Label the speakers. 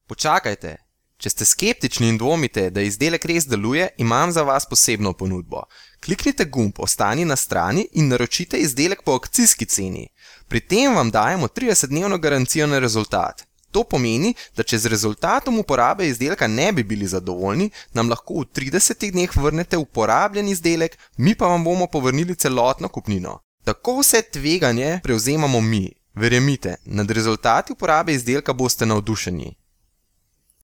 Speaker 1: Počakajte! Če ste skeptični in dvomite, da izdelek res deluje, imam za vas posebno ponudbo. Kliknite gumb Ostani na strani in naročite izdelek po akcijski ceni. Pri tem vam dajemo 30-dnevno garancijo na rezultat. To pomeni, da če z rezultatom uporabe izdelka ne bi bili zadovoljni, nam lahko v 30 dneh vrnete uporabljen izdelek, mi pa vam bomo povrnili celotno kupnino. Tako vse tveganje prevzemamo mi. Verjemite, nad rezultati uporabe izdelka boste navdušeni.